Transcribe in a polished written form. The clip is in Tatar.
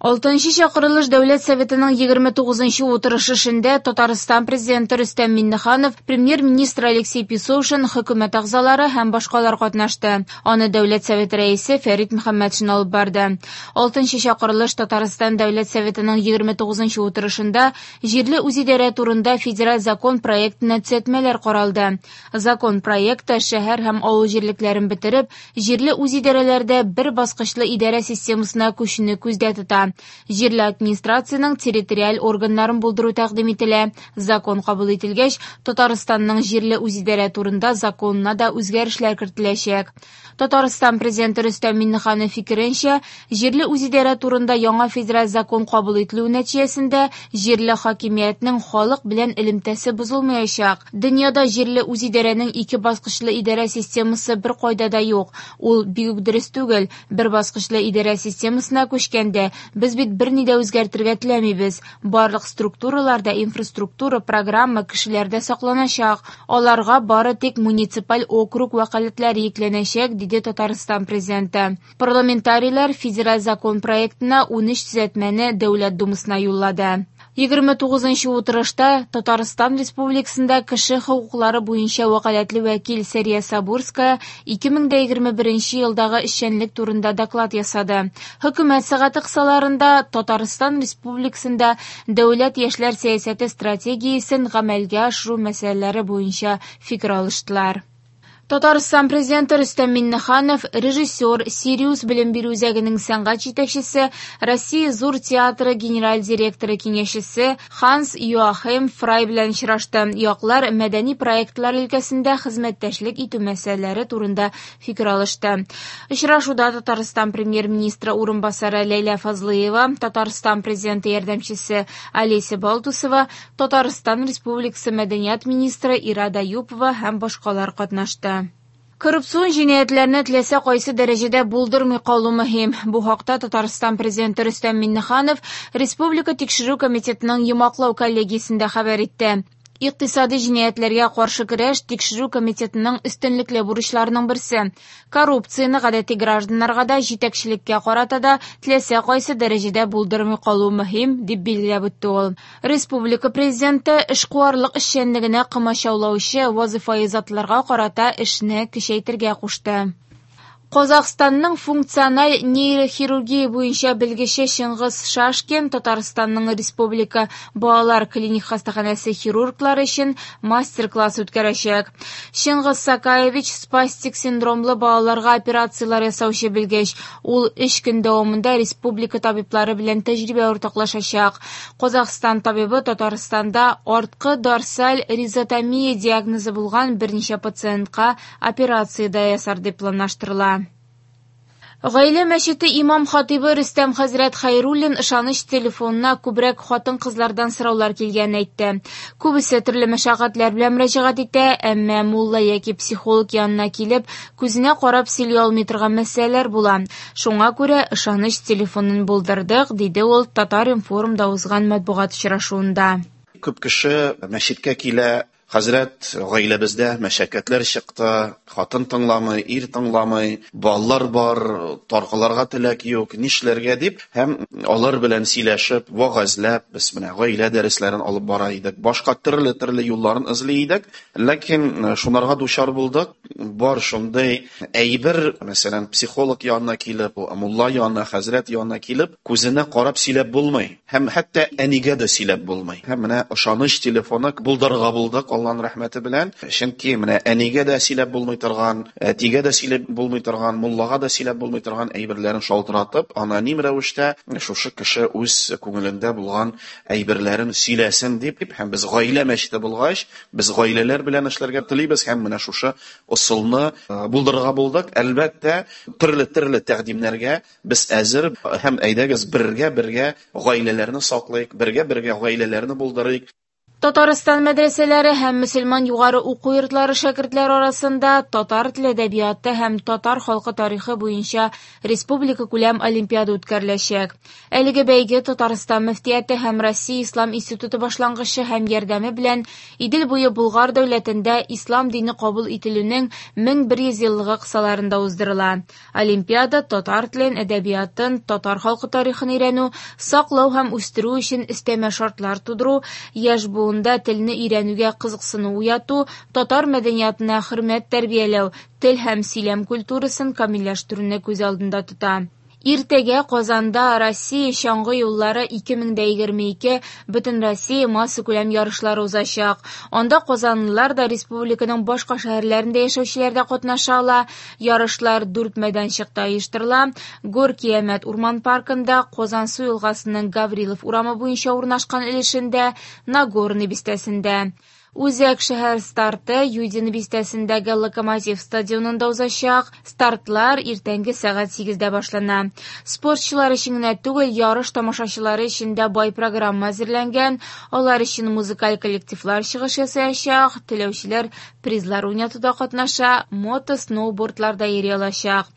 Алтынчы чакырылыш Дәүләт Советының 29 утырышы эшендә Татарстан Президенты Рөстәм Миңнеханов, Премьер-министр Алексей Песошин, хөкүмәт әгъзалары һәм башкалар катнашты. Аны Дәүләт Советы рәисе Фәрит Мөхәммәтшин алып барды. Алтынчы чакырылыш Татарстан Дәүләт Советының 29 утырышында җирле үзидарә турында федераль закон проектына төзәтмәләр каралды. Закон проекты шәһәр һәм авыл җирлекләрен бетереп, җирле үзидарәләрдә бер баскычлы идарә системасына күчүне күздә тота. Җирле администрациянең территориаль органнарын булдыру тәкъдим ителә. Закон кабул ителгәч, Татарстанның җирле үзидарә турында законына да үзгәрешләр кертеләчәк. Татарстан Президенты Рөстәм Миңнеханов фикеренчә, җирле үзидарә турында яңа федераль закон кабул ителү нәтиҗәсендә җирле хакимиятнең халык белән элемтәсе бозылмаячак. Дөньяда җирле үзидарәнең ике баскычлы идарә системасы беркайда да юк. Ул бик үк дөрес түгел. Бер баскычлы идарә системасына күчкәндә, без бит берни дә үзгәртергә теләмибез. Барлык структуралар да, инфраструктура, программа, кешеләр дә сакланачак. Аларга бары тик муниципаль округ вәкаләтләре йөкләнәчәк, диде Татарстан Президенты. Парламентарийлар федераль закон проектына 13 төзәтмәне Дәүләт Думасына юллады. 29 утырышта Татарстан Республикасында кеше хокуклары буенча вәкаләтле вәкил Сәрия Сабурская 2021 елдагы эшчәнлек турында доклад ясады. Хөкүмәт сәгате кысаларында Татарстан Республикасында дәүләт яшьләр сәясәте стратегиясен гамәлгә ашыру мәсьәләләре буенча фикер алыштылар. Татарстан Президенты Рөстәм Миңнеханов, режиссер, Сириус белем бирү үзәгенең сәнгать җитәкчесе, Россия Зур театры генераль директоры киңәшчесе Ханс Йоахим Фрай белән очрашты. Яклар мәдәни проектлар өлкәсендә хезмәттәшлек итү мәсьәләләре турында фикер алышты. Очрашуда Татарстан Премьер-министры урынбасары Ләйлә Фазлыева, Татарстан Президенты ярдәмчесе Олеся Балтусова, Татарстан Республикасы мәдәният министры Ирада Юпова һәм башкалар катнашты. Коррупцион җинаятьләрне теләсә кайсы дәрәҗәдә булдырмый калу мөһим. Бу хакта Татарстан Президенты Рөстәм Миңнеханов Республика тикшерү комитетының йомгаклау коллегиясендә хәбәр итте. Икътисади җинаятьләргә каршы көрәш тикшерү комитетының өстенлекле бурычларының берсе. Коррупцияне гадәти гражданнарга да, җитәкчелеккә карата да теләсә кайсы дәрәҗәдә булдырмый калу мөһим, дип билгеләп үтте ул. Республика Президенты эшкуарлык эшчәнлегенә комачаулаучы вазыйфаи затларга карата эшне көчәйтергә кушты. Казахстанның функциональ нейрохирургия буенча белгече Чыңгыз Шашкин Татарстанның Республика балалар клиник хастаханәсе хирурглары өчен мастер-класс үткәрәчәк. Чыңгыз Сакаевич спастик синдромлы балаларга операцияләр ясаучы белгеч. Ул 3 көн дәвамында республика табиблары белән тәҗрибә уртаклашачак. Казахстан табибы Татарстанда арткы дорсаль ризотомия диагнозы булган берничә пациентка операция дә ясар дип планлаштырыла. Гаилә мәчете имам хатибы Рөстәм хәзрәт Хәйруллин ышаныч телефонына күбрәк хатын-кызлардан сораулар килгәнен әйтте. Күбесе төрле мәшәкатьләр белән мөрәҗәгать итә, әмма мулла яки психолог янына килеп, күзенә карап сөйли алмый торган мәсьәләләр була. Шуңа күрә ышаныч телефонын булдырдык, диде ул Татар-информда узган матбугат очрашуында. Күп кеше мәчеткә килә. Хәзрәт, гаиләбездә мәшәкатьләр чыкты, хатын тыңламый, ир тыңламый, балалар бар, таркаларга теләк юк, нишләргә дип, һәм алар белән сөйләшеп, вәгазьләп, без менә гаилә дәресләрен алып бара идек, башка төрле-төрле юлларын эзли идек, ләкин шунарга дучар булдык. Бар шундый әйбер, мәсәлән, психолог янына килеп, мулла янына, хәзрәт янына килеп, күзенә карап сөйләп булмый. Һәм хәтта әнигә дә сөйләп булмый. Һәм менә ышаныч телефоны булдырырга булдык Аллаһның рәхмәте белән. Чөнки менә әнигә дә сөйләп булмый торган, әтигә дә сөйләп булмый торган, муллага да сөйләп булмый торган әйберләрен шалтыратып, аноним рәвештә шушы кеше үз күңелендә булган әйберләрен сөйләсен дип, һәм без гаилә мәчете булгач, без гаиләләр белән эшләргә телибез һәм менә шушы ысулны булдырырга булдык. Әлбәттә, төрле-төрле тәкъдимнәргә без әзер һәм әйдәгез бергә-бергә гаиләләрне саклыйк, бергә-бергә гаиләләрне булдырыйк. Татарстан мәдрәсәләре һәм мөселман югары уку йортлары шәкертләре арасында татар теле әдәбияты һәм татар халкы тарихы буенча республика күләм олимпиада үткәреләчәк. Әлеге бәйге Татарстан мөфтияте һәм Россия ислам институты башлангычы һәм ярдәме белән Идел буе Болгар дәүләтендә ислам дине кабул ителүнең 1100 еллыгы кысаларында уздырыла. Олимпиада татар телен, әдәбиятын, татар халкы тарихын өйрәнү, саклау һәм үстерү өчен өстәмә шартлар тудыру, яшь буында телне өйрәнүгә кызыксыну уяту, татар мәдәниятына хөрмәт тәрбияләү, тел һәм сөйләм культурасын камилләштерүне күз алдында тота. Иртәгә Казанда Россия чаңгы юллары 2022 Бөтенроссия массакүләм ярышлары узачак. Анда казанлылар да, республиканың башка шәһәрләрендә яшәүчеләр дә катнаша ала. Ярышлар дүрт мәйданчыкта оештырыла: Горки-Әмәт урман паркында, Казансу елгасының Гаврилов урамы буенча урнашкан өлешендә, Нагорный бистәсендә. Үзәк шәһәр старты Юдино бистәсендәге Локомотив стадионында узачак. Стартлар иртәнге сәгать 8дә башлана. Спортчылар өчен генә түгел, ярыш тамашачылары өчен дә бай программа әзерләнгән. Алар өчен музыкаль коллективлар чыгыш ясаячак, теләүчеләр призлар уйнатуда катнаша, мото-сноубордларда йөри алачак.